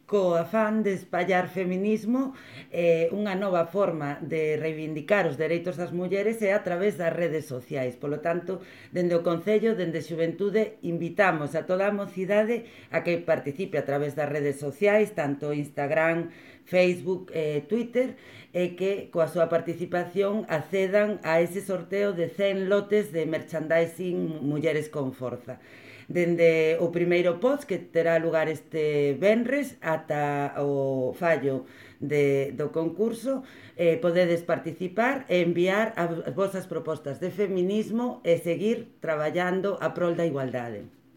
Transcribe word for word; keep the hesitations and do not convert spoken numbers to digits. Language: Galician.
co afán de espallar feminismo, eh, unha nova forma de reivindicar os dereitos das mulleres é a través das redes sociais. Polo tanto, dende o Concello, dende Xuventude, invitamos a toda a mocidade a que participe a través das redes sociais, tanto Instagram, Facebook, eh, Twitter, e que coa súa participación accedan a ese sorteo de cen lotes de merchandising Mulleres con Forza. Dende o primeiro post que terá lugar este venres ata o fallo de, do concurso, eh, podedes participar e enviar as vosas propostas de feminismo e seguir traballando a prol da igualdade.